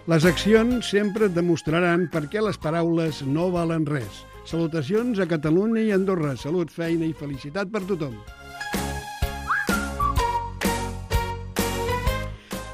Les accions sempre et demostraran per què les paraules no valen res. Salutacions a Catalunya i Andorra. Salut, feina i felicitat per tothom.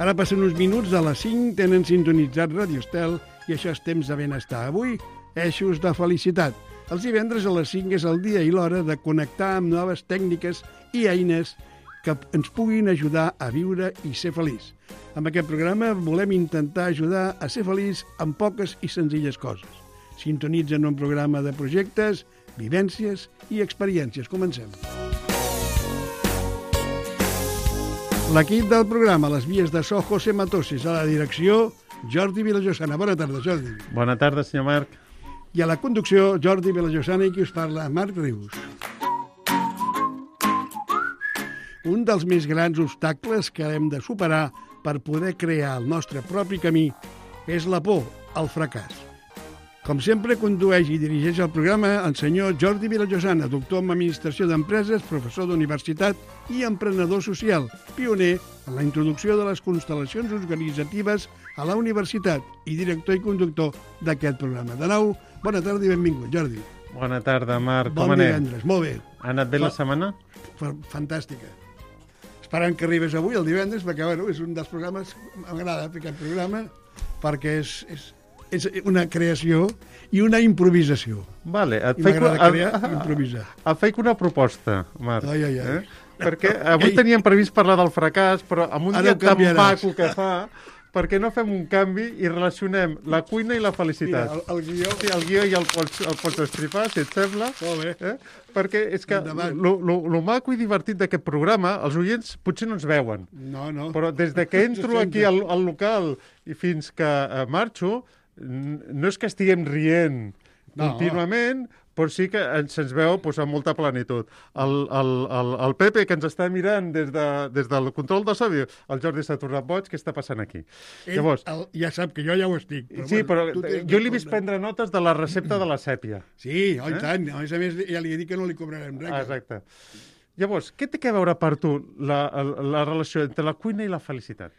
Ara passen uns minuts de les 5, tenen sintonitzat Radio Estel i això és temps de benestar. Avui, eixos de felicitat. Els divendres a les 5 és el dia i l'hora de connectar amb noves tècniques i eines que ens puguin ajudar a viure i ser feliç. Amb aquest programa volem intentar ajudar a ser feliç amb poques i senzilles coses. Sintonitzen un programa de projectes, vivències i experiències. Comencem. L'equip del programa, les vies de so, José Matossis, a la direcció, Jordi Vilajosana. Bona tarda, Jordi. Bona tarda, senyor Marc. I a la conducció, Jordi Vilajosana i qui us parla, Marc Rius. Un dels més grans obstacles que hem de superar per poder crear el nostre propi camí és la por al fracàs. Com sempre, condueix i dirigeix el programa el senyor Jordi Vilajosana, doctor en Administració d'Empreses, professor d'universitat i emprenedor social, pioner en la introducció de les constel·lacions organitzatives a la universitat i director i conductor d'aquest programa. De nou, bona tarda i benvingut, Jordi. Bona tarda, Marc. Bon Com anem? divendres, molt bé. Ha anat bé la setmana? Fantàstica. Esperant que arribes avui, el divendres, perquè bueno, és un dels programes, m'agrada fer aquest programa, perquè és una creació i una improvisació. Vale, I m'agrada crear i improvisar. Et faig una proposta, Marc. Ai. Perquè avui teníem previst parlar del fracàs, però amb un dia tan maco que fa, perquè no fem un canvi i relacionem la cuina i la felicitat. Mira, el guió... Sí, el guió ja el pots estripar, si et sembla. Molt bé. Perquè és que lo maco i divertit d'aquest programa, els oients potser no ens veuen. No. Però des de que entro aquí al local i fins que marxo, no és que estiguem rient contínuament, però sí que se'ns veu amb molta plenitud. El Pepe, que ens està mirant des del control de so, diu, el Jordi s'ha tornat boig, què està passant aquí? Llavors, ja sap que jo ja ho estic. Sí, però jo li he vist prendre notes de la recepta de la sèpia. Sí, i tant. A més, ja li he dit que no li cobrarem res. Exacte. Llavors, què té a veure per tu la relació entre la cuina i la felicitat?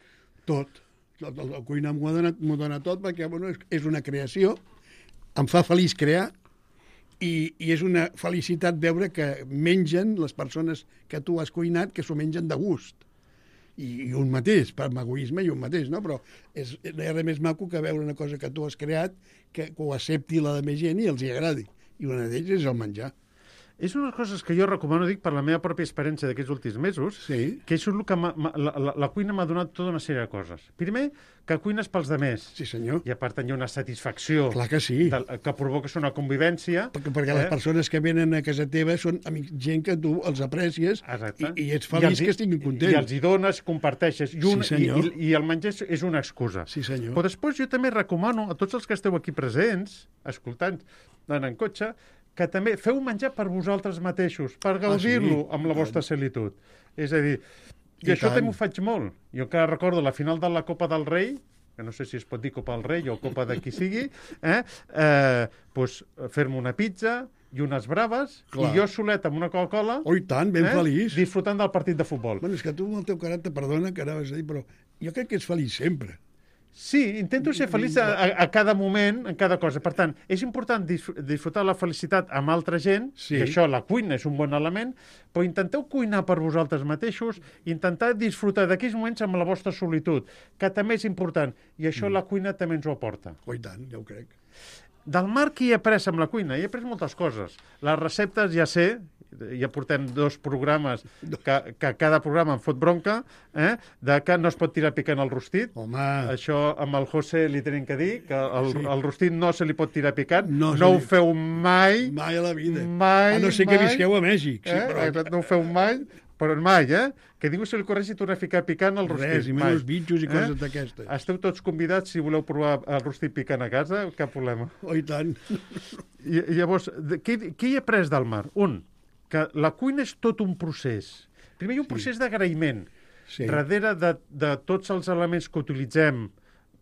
Tot. La cuina m'ho dona tot perquè és una creació, em fa feliç crear i és una felicitat veure que mengen les persones que tu has cuinat, que s'ho mengen de gust. I un mateix, per egoisme i un mateix, no? Però no hi ha res més maco que veure una cosa que tu has creat, que ho accepti la de més gent i els hi agradi. I una d'ells és el menjar. És una de les coses que jo recomano, dic, per la meva pròpia experiència d'aquests últims mesos, que és el que la cuina m'ha donat tota una sèrie de coses. Primer, que cuines pels demés. Sí, senyor. I a part hi ha una satisfacció. Clar que sí. Que provoques una convivència. Perquè les persones que venen a casa teva són gent que tu els aprecies i ets feliç que estiguin contents. I els hi dones, comparteixes. I el menjar és una excusa. Sí, senyor. Però després jo també recomano a tots els que esteu aquí presents, escoltant, anant en cotxe, que també feu menjar per vosaltres mateixos, per gaudir-lo amb la vostra solitud. És a dir, i això també ho faig molt. Jo encara recordo la final de la Copa del Rei, que no sé si es pot dir Copa del Rei o Copa de qui sigui, fer-me una pizza i unes braves, i jo solet amb una Coca-Cola... Oh, i tant, ben feliç. Disfrutant del partit de futbol. Bueno, és que tu, amb el teu caràcter, perdona que anaves a dir, però jo crec que ets feliç sempre. Sí, intento ser feliç a cada moment, en cada cosa. Per tant, és important disfrutar la felicitat amb altra gent, i això, la cuina és un bon element, però intenteu cuinar per vosaltres mateixos, intentar disfrutar d'aquells moments amb la vostra solitud, que també és important, i això la cuina també ens ho aporta. Oh, i tant, ja ho crec. Del Marc hi he après amb la cuina, hi he après moltes coses. Les receptes ja sé, ja portem 2 programes que cada programa em fot bronca, de que no es pot tirar picant al rostit. Home. Això amb el José li tenim que dir, que el rostit no se li pot tirar picant. No ho feu mai. Mai a la vida. Mai, a no ser que visqueu a Mèxic. Sí, però... No ho feu mai, però mai, que ningú se li corregi tornar a ficar picant al rostit. Res, i menys bitxos i coses d'aquestes. Esteu tots convidats, si voleu provar el rostit picant a casa, cap problema. Oh, i tant. I llavors, què hi he après del Marc? Que la cuina és tot un procés. Primer hi ha un procés d'agraïment. Darrere de tots els elements que utilitzem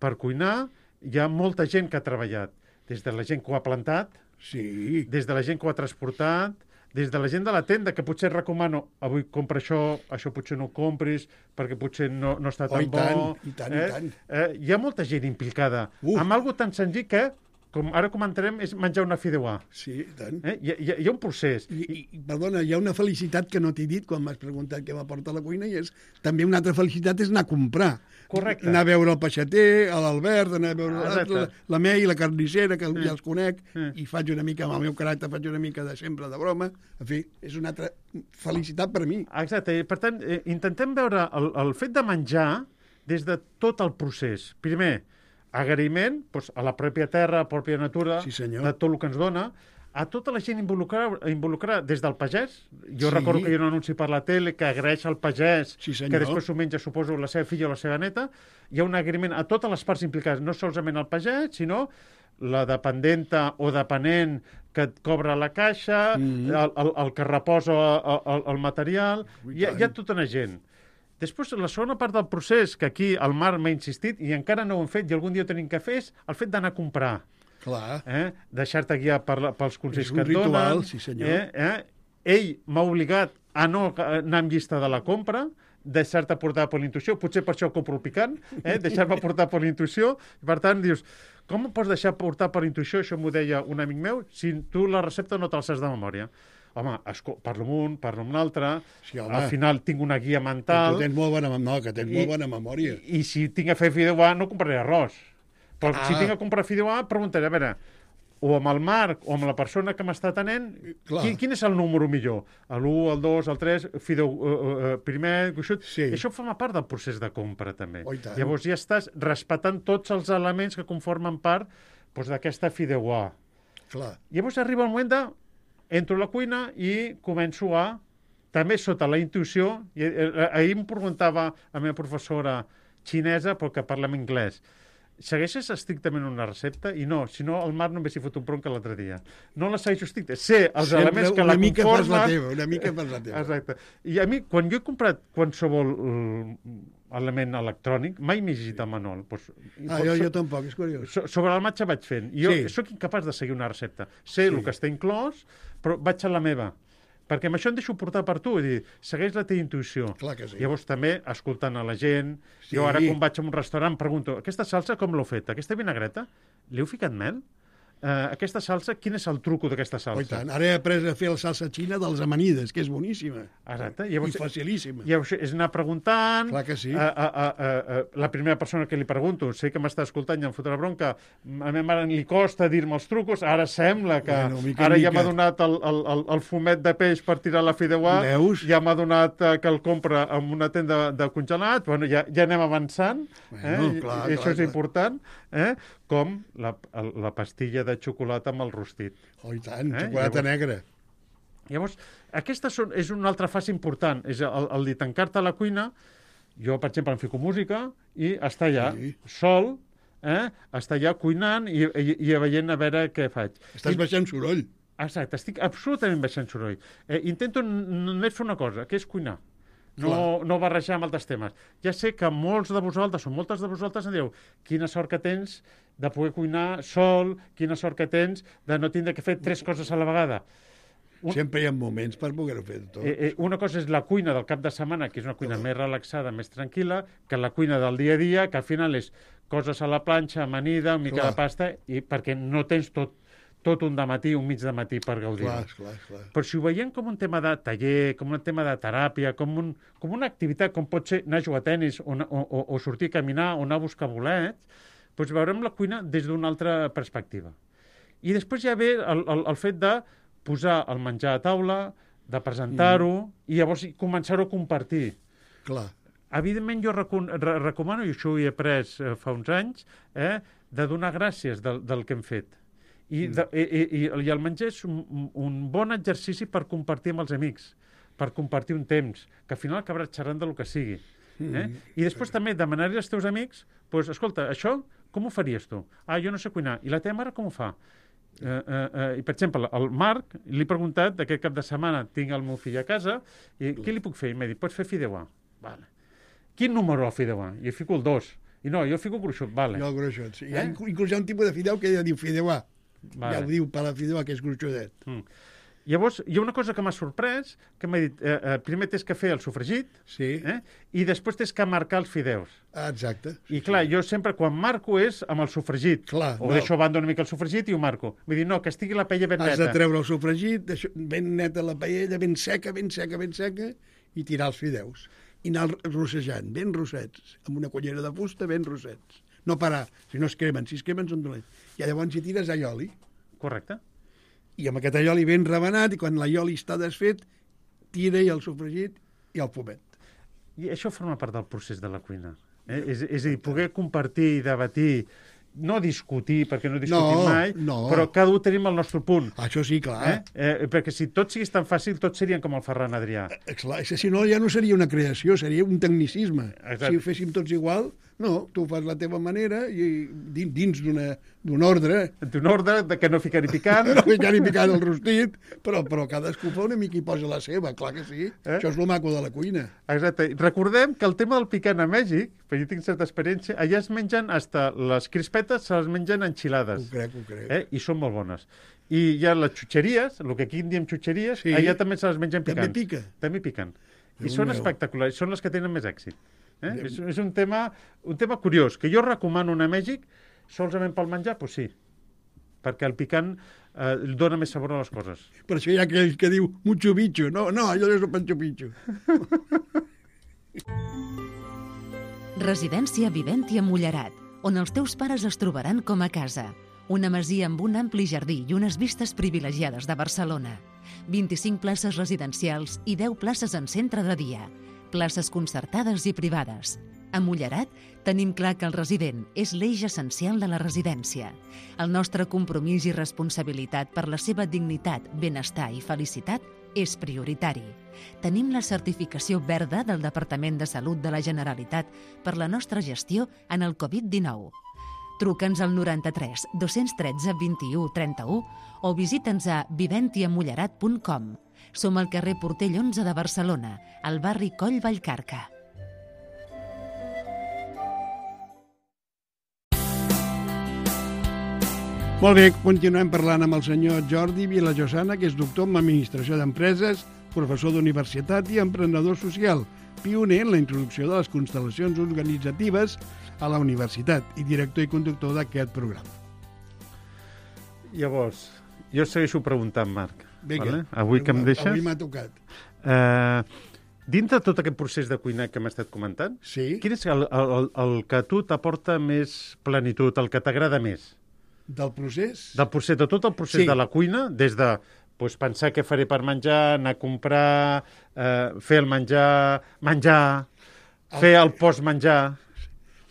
per cuinar, hi ha molta gent que ha treballat. Des de la gent que ho ha plantat, des de la gent que ho ha transportat, des de la gent de la tenda, que potser recomano, avui compra això potser no ho compris, perquè potser no està tan bo. I tant. Hi ha molta gent implicada amb algo tan senzill que, com ara comentarem, és menjar una fideuà. Sí, i tant. Hi ha un procés. Perdona, hi ha una felicitat que no t'he dit quan m'has preguntat què m'aporta la cuina, i és també una altra felicitat és anar a comprar. Correcte. Anar a veure el peixater, l'Albert, anar a veure la Mei, la carnissera, que ja els conec, i faig una mica, amb el meu caràcter, faig una mica de sempre de broma. En fi, és una altra felicitat per mi. Exacte. Per tant, intentem veure el fet de menjar des de tot el procés. Primer, agraïment a la pròpia terra, a la pròpia natura, de tot el que ens dona, a tota la gent involucrada des del pagès. Jo recordo que hi ha un anunci per la tele que agraeix al pagès, que després s'ho menja, suposo, la seva filla o la seva neta. Hi ha un agraïment a totes les parts implicades, no solament al pagès, sinó la dependenta o depenent que et cobra la caixa, el que reposa el material. Hi ha tota una gent. Després, la segona part del procés, que aquí el Marc m'ha insistit, i encara no ho hem fet, i algun dia ho tenim que fer, és el fet d'anar a comprar. Clar. Deixar-te guiar pels consells que et donen. És un ritual, sí senyor. Ell m'ha obligat a no anar amb llista de la compra, deixar-te portar per l'intuïció, potser per això compro el picant, deixar-me portar per l'intuïció, i per tant dius, com em pots deixar portar per l'intuïció, això m'ho deia un amic meu, si tu la recepta no te'l saps de memòria? Home, parlo amb un, parlo amb l'altre, al final tinc una guia mental. Tu tens molt bona memòria. I si tinc a fer fideuà, no compraré arròs. Però si tinc a comprar fideuà, preguntaré, a veure, o amb el Marc o amb la persona que m'està atenent, quin és el número millor? L'1, el 2, el 3, fideu primer, gruixut? Sí. Això forma part del procés de compra, també. Llavors ja estàs respectant tots els elements que conformen part d'aquesta fideuà. Llavors arriba el moment de entro a la cuina i començo també sota la intuïció, ahir em preguntava la meva professora xinesa, però que parla en anglès, segueixes estrictament una recepta? I no, si no, el Marc no m'he fot un bronca l'altre dia. No la segueixo estricta. Sé els elements que la conformen... Una mica fas la teva. Exacte. I a mi, quan jo he comprat qualsevol element electrònic, mai m'he llegit el manual. Jo tampoc, és curiós. Sobre el matxa vaig fent. Jo sóc incapaç de seguir una recepta. Sé el que està inclòs, però vaig a la meva. Perquè amb això em deixo portar per tu, dir, segueix la teva intuïció. Clar que sí. Llavors també, escoltant a la gent, jo ara quan vaig a un restaurant pregunto, aquesta salsa com l'heu fet? Aquesta vinagreta? Li heu ficat mel? Aquesta salsa, quin és el truco d'aquesta salsa? Oh, i tant. Ara he après a fer la salsa xina dels amanides, que és boníssima. Exacte. I facilíssima. Llavors és anar preguntant. Clar que sí. La primera persona que li pregunto, sé que m'està escoltant i em fotrà bronca, a mi mare li costa dir-me els trucos, ara sembla que ara ja m'ha donat el fumet de peix per tirar la fideuà, ja m'ha donat que el compra en una tenda de congelat, bueno, ja anem avançant, això és important, com la pastilla de xocolata amb el rostit. Oh, i tant, xocolata negra. Llavors, aquesta és una altra fase important, és el de tancar-te a la cuina. Jo, per exemple, em fico música i estar allà sol, estar allà cuinant i veient a veure què faig. Estàs baixant soroll. Exacte, estic absolutament baixant soroll. Intento només fer una cosa, que és cuinar. No barrejar amb altres temes. Ja sé que molts de vosaltres o moltes de vosaltres em dieu quina sort que tens de poder cuinar sol, quina sort que tens de no tindre que fer 3 coses a la vegada. Sempre hi ha moments per poder-ho fer tot. Una cosa és la cuina del cap de setmana, que és una cuina més relaxada, més tranquil·la, que la cuina del dia a dia, que al final és coses a la planxa, amanida, una mica de pasta, i perquè no tens tot un dematí, un mig de matí per gaudir. Clar. Però si ho veiem com un tema de taller, com un tema de teràpia, com una activitat, com pot ser anar a jugar a tenis o sortir a caminar o anar a buscar bolets, doncs veurem la cuina des d'una altra perspectiva. I després ja ve el fet de posar el menjar a taula, de presentar-ho, i llavors començar-ho a compartir. Clar. Evidentment jo recomano, i això ho he après fa uns anys, de donar gràcies del que hem fet. I el menjar és un bon exercici per compartir amb els amics, per compartir un temps, que al final acabaràs xerrant del que sigui. I després també demanar-li als teus amics, doncs, escolta, això com ho faries tu? Jo no sé cuinar. I la teva mare com ho fa? I, per exemple, al Marc li he preguntat aquest cap de setmana, tinc el meu fill a casa, i què li puc fer? I m'ha dit, pots fer fideuà. Vale. Quin número al fideuà? I fico el 2. I no, jo fico gruixut. Vale. Jo el gruixut, sí. Inclús hi ha un tipus de fideu que ja diu fideuà. Vale. Ja ho diu per la fideuà, que és gruixudet. Llavors, hi ha una cosa que m'ha sorprès, que m'ha dit, primer tens que fer el sofregit, i després tens que marcar els fideus. Exacte. I clar, jo sempre, quan marco, és amb el sofregit. O deixo a banda una mica el sofregit i ho marco. Vull dir, no, que estigui la paella ben neta. Has de treure el sofregit, ben neta la paella, ben seca, i tirar els fideus. I anar rossejant, ben rossets, amb una cullera de fusta, ben rossets. No parar, si no es cremen, si es cremen són dolents. I llavors hi tires allioli. Correcte. I amb aquest allioli ben rebenat, i quan l'allioli està desfet, tira-hi el sofregit i el fumet. I això forma part del procés de la cuina. És a dir, poder compartir i debatir, no discutir, perquè no discutim mai, però cada un tenim el nostre punt. Això sí, clar. Perquè si tot sigués tan fàcil, tots serien com el Ferran Adrià. Clar, si no, ja no seria una creació, seria un tecnicisme. Exacte. Si ho féssim tots igual, no, tu ho fas la teva manera i dins d'un ordre. D'un ordre que no ficar ni picant. No ficar ni picant el rostit, però cadascú fa una mica i posa la seva, clar que sí. Això és el maco de la cuina. Exacte. Recordem que el tema del picant a Mèxic, perquè jo tinc certa experiència, allà es mengen hasta les crispetes, se les mengen enxilades. Ho crec. I són molt bones. I hi ha les xutxeries, el que aquí en diem xutxeries, allà també se les mengen picants. També piquen. I són espectaculars, són les que tenen més èxit. És un tema curiós, que jo recomano anar a Mèxic solament pel menjar, doncs sí, perquè el picant dona més sabor a les coses. Per això hi ha aquell que diu mucho bicho. No, allò és el pancho picho. Residència Viventi a Mullerat, on els teus pares es trobaran com a casa. Una masia amb un ampli jardí i unes vistes privilegiades de Barcelona. 25 places residencials i 10 places en centre de dia. Places concertades i privades. A Mullerat tenim clar que el resident és l'eix essencial de la residència. El nostre compromís i responsabilitat per la seva dignitat, benestar i felicitat és prioritari. Tenim la certificació verda del Departament de Salut de la Generalitat per la nostra gestió en el Covid-19. Truca'ns al 93 213 21 31 o visita'ns a viventiamullerat.com. Som al carrer Portell 11 de Barcelona, al barri Coll Vallcarca. Molt bé, continuem parlant amb el senyor Jordi Vilajosana, que és doctor en Administració d'Empreses, professor d'universitat i emprenedor social, pioner en la introducció de les constel·lacions organitzatives a la universitat i director i conductor d'aquest programa. Llavors, jo segueixo preguntant, Marc. Vinga, avui que em deixes... Avui m'ha tocat. Dintre de tot aquest procés de cuinar que m'has estat comentant, quin és el que a tu t'aporta més plenitud, el que t'agrada més? Del procés? De tot el procés de la cuina, des de pensar què faré per menjar, anar a comprar, fer el menjar, fer el postmenjar...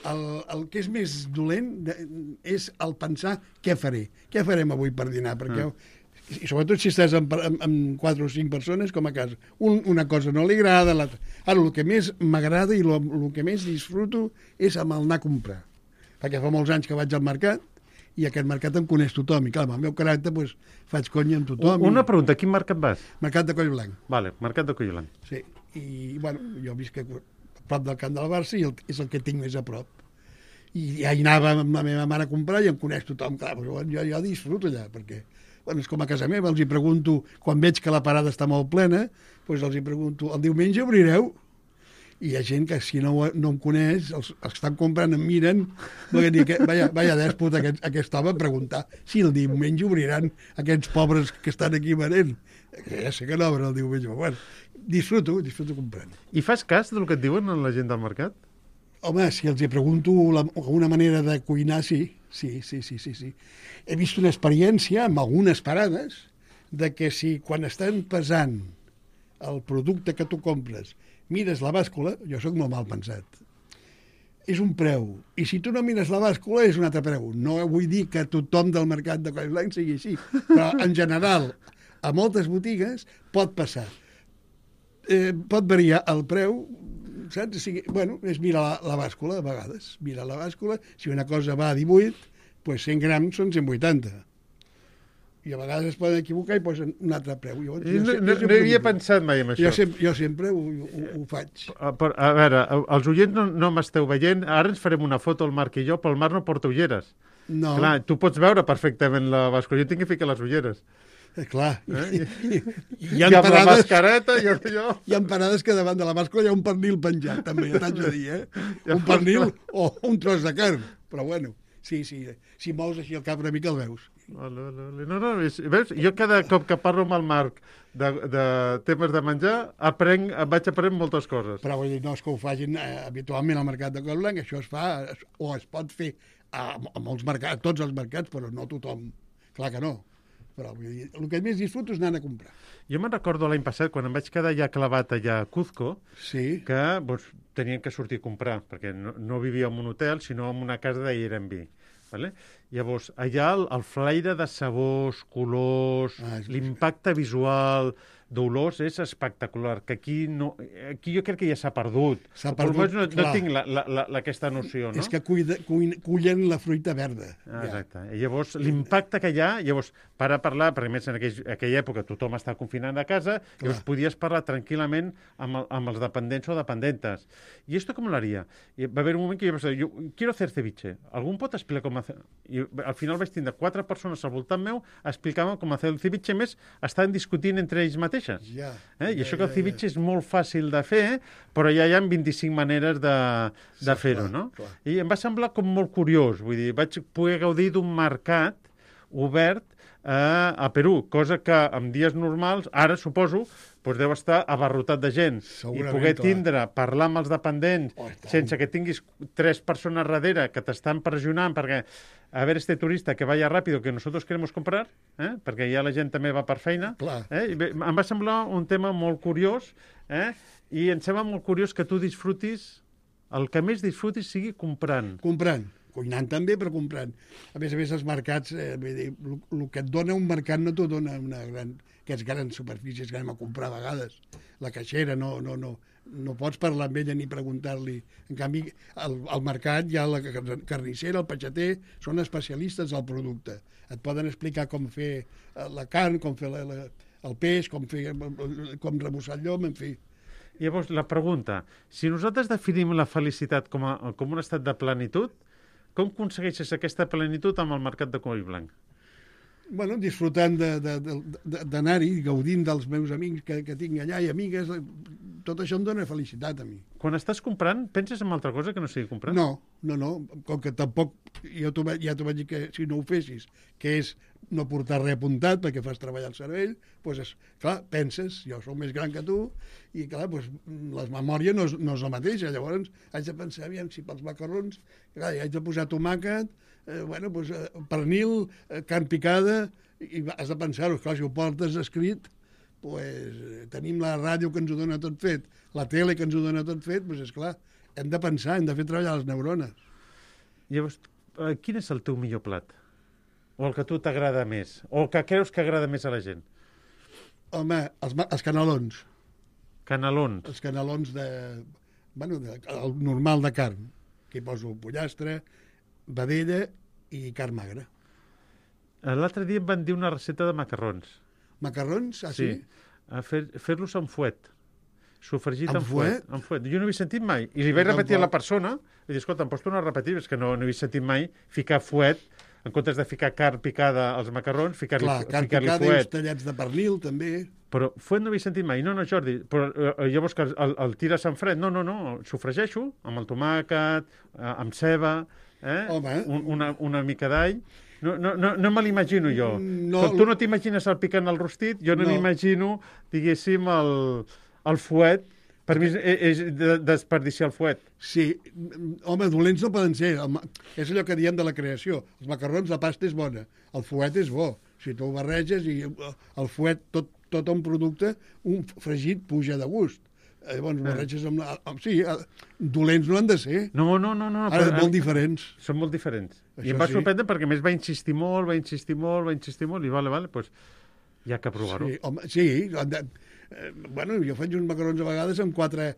El que és més dolent és el pensar què faré. Què farem avui per dinar? Perquè i sobretot si estàs amb 4 o 5 persones, com a casa. Una cosa no li agrada, l'altra. Ara, el que més m'agrada i el que més disfruto és amb el anar a comprar. Perquè fa molts anys que vaig al mercat i aquest mercat em coneix tothom. I clar, amb el meu caràcter faig conya amb tothom. Una pregunta, a quin mercat vas? Mercat de Collblanc. Vale, mercat de Collblanc. Sí, i bueno, jo visc a prop del Camp del Barça i és el que tinc més a prop. I ja hi anava amb la meva mare a comprar i em coneix tothom. Clar, jo disfruto allà, perquè és com a casa meva, els hi pregunto, quan veig que la parada està molt plena, els hi pregunto, el diumenge obrireu? I hi ha gent que si no em coneix, els que estan comprant em miren, vaya dèspot aquest home a preguntar si el diumenge obriran aquests pobres que estan aquí venent. Ja sé que no obren el diumenge, però bueno, disfruto comprant. I fas cas del que et diuen la gent del mercat? Home, si els hi pregunto una manera de cuinar, sí. He vist una experiència amb algunes parades de que si quan estan pesant el producte que tu compres mires la bàscula, jo sóc molt mal pensat, és un preu. I si tu no mires la bàscula és un altre preu. No vull dir que tothom del mercat de Collblanc sigui així, però en general a moltes botigues pot passar. Pot variar el preu, saps? És mirar la bàscula, a vegades. Mira la bàscula, si una cosa va a 18, 100 grams són 180. I a vegades es poden equivocar i posen un altre preu. No havia pensat mai en això. Jo sempre ho faig. A veure, els oients no m'esteu veient. Ara ens farem una foto, el Marc i jo, però el Marc no porta ulleres. No. Clar, tu pots veure perfectament la bàscula. Jo tinc que ficar les ulleres. Clar. I amb la mascareta i allò... Hi ha parades que davant de la màscara hi ha un pernil penjat, també, ja t'haig de dir, Un pernil o un tros de carn. Però bueno, sí, si mous així el cap una mica el veus. No, veus? Jo cada cop que parlo amb el Marc de temes de menjar, vaig aprenent moltes coses. Però vull dir, no és que ho facin habitualment al mercat de Collblanc, això es fa, o es pot fer a molts mercats, a tots els mercats, però no tothom. Clar que no. Però vull dir, el que més disfruto és anar a comprar. Jo me'n recordo l'any passat, quan em vaig quedar ja clavat allà a Cuzco, que tenien que sortir a comprar, perquè no vivia en un hotel, sinó en una casa d'Airbnb. Vale? Llavors, allà el flaire de sabors, colors, l'impacte visual d'olors és espectacular, que aquí jo crec que ja s'ha perdut. No tinc aquesta noció, no? És que cullen la fruita verda. Exacte. I llavors, l'impacte que hi ha, per parlar, perquè més en aquella època tothom estava confinant a casa, llavors podies parlar tranquil·lament amb els dependents o dependentes. I esto com l'haria? Va haver un moment que jo pensava, yo quiero hacer ceviche. ¿Algún pot explicar com hacer? I al final vaig tindre 4 persones al voltant meu explicant com hacer el ceviche, més estaven discutint entre ells mateixos. I això que el ceviche és molt fàcil de fer, però ja hi ha 25 maneres de fer-ho, no? I em va semblar com molt curiós, vull dir, vaig poder gaudir d'un mercat obert a Perú, cosa que en dies normals, ara suposo, deu estar abarrotat de gent. I poder parlar amb els dependents sense que tinguis 3 persones darrere que t'estan pressionant perquè a ver este turista que vaya rápido que nosotros queremos comprar, perquè ja la gent també va per feina. Em va semblar un tema molt curiós i em sembla molt curiós que tu disfrutis, el que més disfrutis sigui comprant. Cuinant també, però comprant. A més, els mercats, el que et dona un mercat no t'ho dona aquestes grans superfícies que anem a comprar a vegades. La caixera, no pots parlar amb ella ni preguntar-li. En canvi, al mercat hi ha la carnissera, el peixater, són especialistes del producte. Et poden explicar com fer la carn, com fer el peix, com rebussar el llom, en fi. Llavors, la pregunta, si nosaltres definim la felicitat com un estat de plenitud, com aconsegueixes aquesta plenitud amb el mercat de Collblanc? Bueno, disfrutant d'anar-hi, gaudint dels meus amics que tinc allà i amigues, tot això em dona felicitat a mi. Quan estàs comprant, penses en altra cosa que no sigui comprar? No. Com que tampoc, ja t'ho vaig dir que si no ho fessis, que és no portar res apuntat perquè fas treballar el cervell, doncs, clar, penses, jo soc més gran que tu, i clar, la memòria no és la mateixa, llavors haig de pensar, aviam, si pels macarrons, clar, haig de posar tomàquet, pernil, carn picada, i has de pensar-ho, clar, si ho portes escrit, tenim la ràdio que ens ho dona tot fet, la tele que ens ho dona tot fet, doncs esclar, hem de pensar, hem de fer treballar les neurones. Llavors, quin és el teu millor plat? O el que a tu t'agrada més? O el que creus que agrada més a la gent? Home, els canelons. Canelons? Els canelons el normal de carn, que hi poso pollastre, vedella i carn magra. L'altre dia em van dir una recepta de macarrons. Macarrons? Ah, sí? Fer-los amb fuet. Sofregit amb fuet. Jo no havia sentit mai. I li vaig repetir a la persona, i dir, escolta, em pots tornar a repetir, és que no havia sentit mai ficar fuet, en comptes de ficar carn picada als macarrons, ficar-li fuet. Carn picada i uns tallats de pernil, també. Però fuet no havia sentit mai. No, Jordi, però llavors que el tires en fred. No, sofregeixo amb el tomàquet, amb ceba, una mica d'all. No me l'imagino jo. Tu no t'imagines el picant al rostit, jo no m'imagino, diguéssim, el fuet. Per mi és desperdiciar el fuet. Sí. Home, dolents no poden ser. És allò que diem de la creació. Els macarrons, la pasta és bona. El fuet és bo. Si tu ho barreges i el fuet, tot un producte, un fregit puja de gust. Llavors, barreges amb... Sí, dolents no han de ser. No. Ara, molt diferents. Són molt diferents. I em va sorprendre perquè més va insistir molt, i vale, doncs hi ha que provar-ho. Sí, home, sí. Jo faig uns macarrons a vegades amb 4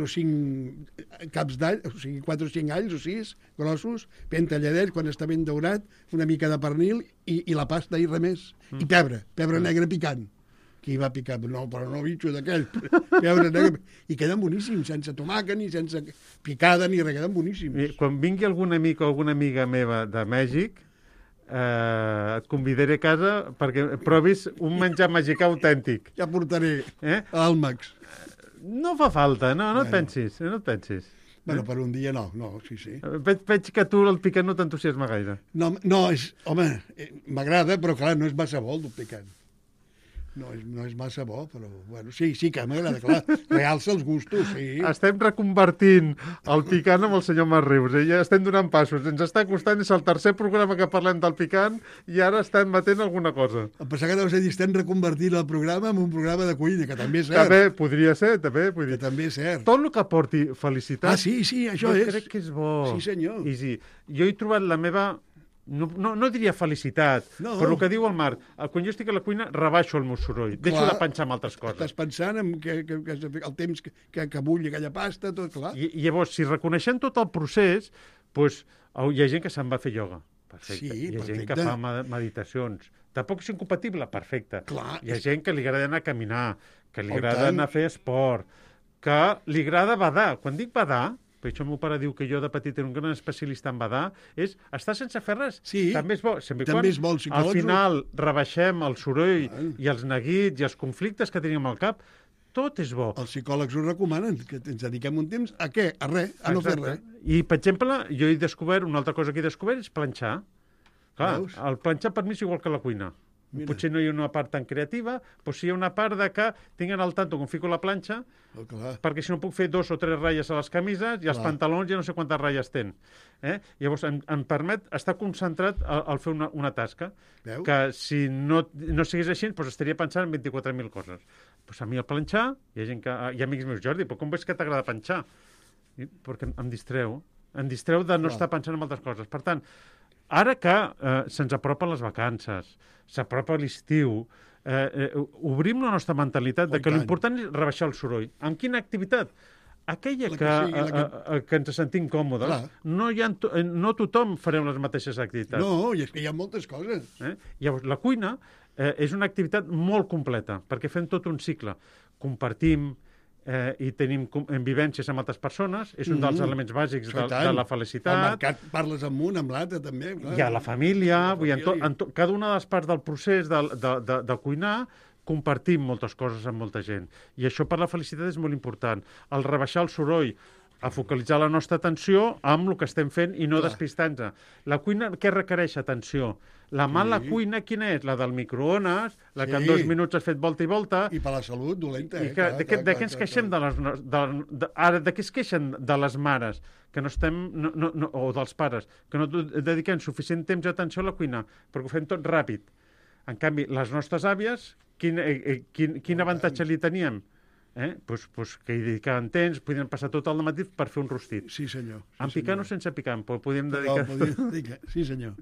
o 5 caps d'all, o sigui, 4 o 5 alls o 6 grossos, ben talladets, quan està ben daurat, una mica de pernil i la pasta i res més. I pebre negre picant. Qui va picar? No, però no bitxo d'aquell. Pebre negre. I queden boníssims, sense tomàquet, ni sense picada, ni res, queden boníssims. Quan vingui algun amic o alguna amiga meva de Mèxic, et convidaré a casa perquè provis un menjar mexicà autèntic. Ja portaré àlmacs. No fa falta, no et pensis, no et pensis. Bueno, per un dia no, sí. Veig que tu el picant no t'entusiasma gaire. No, home, m'agrada, però clar, no és massa bo el picant. No és massa bo, però bueno, sí que m'agrada, clar. Realça els gustos, sí. Estem reconvertint el picant amb el senyor Marc Rius. Ja estem donant passos. Ens està costant, és el tercer programa que parlem del picant i ara estem batent alguna cosa. Em pensava que deus dir, estem reconvertint el programa en un programa de cuina, que també és cert. També podria ser, Que també és cert. Tot el que porti felicitat... Ah, sí, això és. Jo crec que és bo. Sí, senyor. I jo he trobat la meva... No diria felicitat, però el que diu el Marc, quan jo estic a la cuina rebaixo el meu soroll, deixo de pensar en altres coses. Estàs pensant en el temps que bulli aquella pasta, tot clar. I llavors, si reconeixem tot el procés, doncs, hi ha gent que se'n va a fer ioga. Perfecte. Sí, hi ha gent que fa meditacions. Tampoc és incompatible, perfecte. Clar, hi ha gent que li agrada anar a caminar, que li agrada anar a fer esport, que li agrada badar. Quan dic badar, per això el meu pare diu que jo de petit era un gran especialista en badar, és estar sense fer res. Sí, també és bo. També és bo el psicòleg. Al final rebaixem el soroll i els neguits i els conflictes que tenim al cap. Tot és bo. Els psicòlegs ho recomanen, que ens dediquem un temps a què? A res, a no fer res. I, per exemple, jo he descobert, una altra cosa que he descobert és planxar. Clar, el planxar per mi és igual que la cuina. Mira. Potser no hi ha una part tan creativa, però sí hi ha una part de que tinguen al tanto quan fico la planxa, perquè si no puc fer 2 o 3 ratlles a les camises i els pantalons ja no sé quantes ratlles tenen. Llavors em permet estar concentrat al fer una tasca. Veus? Que si no sigués així, doncs estaria pensant en 24.000 coses. Doncs a mi el planxar, hi ha amics meus, Jordi, però com veus que t'agrada planxar? Perquè em distreu. Em distreu de no estar pensant en altres coses. Per tant, ara que se'ns apropen les vacances, s'apropa l'estiu, obrim la nostra mentalitat de que l'important és rebaixar el soroll. En quina activitat? Aquella que ens sentim còmodes. No tothom farem les mateixes activitats. No, i és que hi ha moltes coses. Llavors, la cuina és una activitat molt completa, perquè fem tot un cicle. Compartim, i tenim vivències amb altres persones, és un dels elements bàsics de la felicitat. Al mercat parles amb un, amb l'altre, també. Clar. I a la família, cada una de les parts del procés de cuinar, compartim moltes coses amb molta gent. I això per la felicitat és molt important. El rebaixar el soroll, a focalitzar la nostra atenció amb el que estem fent i no despistant-nos. La cuina, què requereix atenció? La mala cuina, quina és? La del microones, la que en 2 minuts has fet volta i volta. I per la salut, dolenta. I de què ens queixem ara, de què es queixen de les mares que no estem, o dels pares, que no dediquem suficient temps i atenció a la cuina, perquè ho fem tot ràpid. En canvi, les nostres àvies, quin avantatge li teníem? Pues que hi dedicaven temps, podien passar tot el matí per fer un rostit. Sí, senyor. Amb picant o sense picant, però podíem dedicar... Sí, senyor.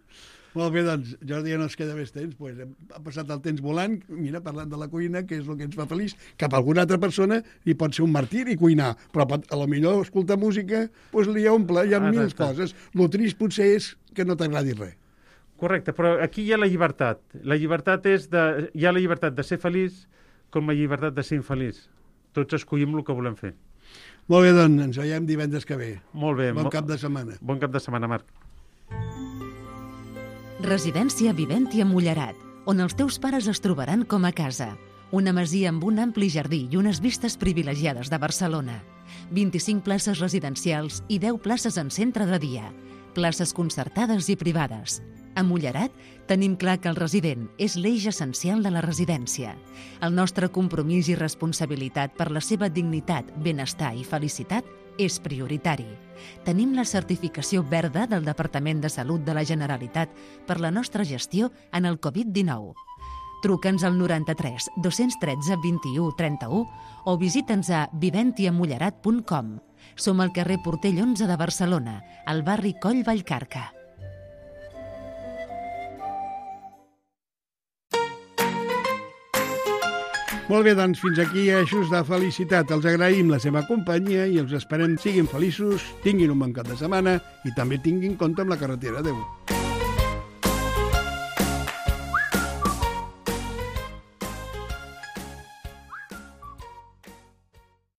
Molt bé, doncs, Jordi, ja no ens queda més temps. Pues, ha passat el temps volant, mira, parlant de la cuina, que és el que ens fa feliç. Cap a alguna altra persona li pot ser un martiri cuinar, però a lo millor escoltar música pues, li omple, hi ha mil coses. Lo trist potser és que no t'agradi res. Correcte, però aquí hi ha la llibertat. La llibertat hi ha la llibertat de ser feliç com la llibertat de ser infeliç. Tots escollim el que volem fer. Molt bé, doncs, ens veiem divendres que ve. Molt bé. Bon cap de setmana. Bon cap de setmana, Marc. Residència Vivència Mullerat, on els teus pares es trobaran com a casa. Una masia amb un ampli jardí i unes vistes privilegiades de Barcelona. 25 places residencials i 10 places en centre de dia. Places concertades i privades. A Mullerat tenim clar que el resident és l'eix essencial de la residència. El nostre compromís i responsabilitat per la seva dignitat, benestar i felicitat és prioritari. Tenim la certificació verda del Departament de Salut de la Generalitat per la nostra gestió en el Covid-19. Truca'ns al 93 213 21 31 o visita'ns a viventiamullerat.com. Som al carrer Portell 11 de Barcelona, al barri Coll Vallcarca. Molt bé, doncs fins aquí Eixos de Felicitat. Els agraïm la seva companyia i els esperem siguin feliços, tinguin un bon cap de setmana i també tinguin compte amb la carretera. Adéu.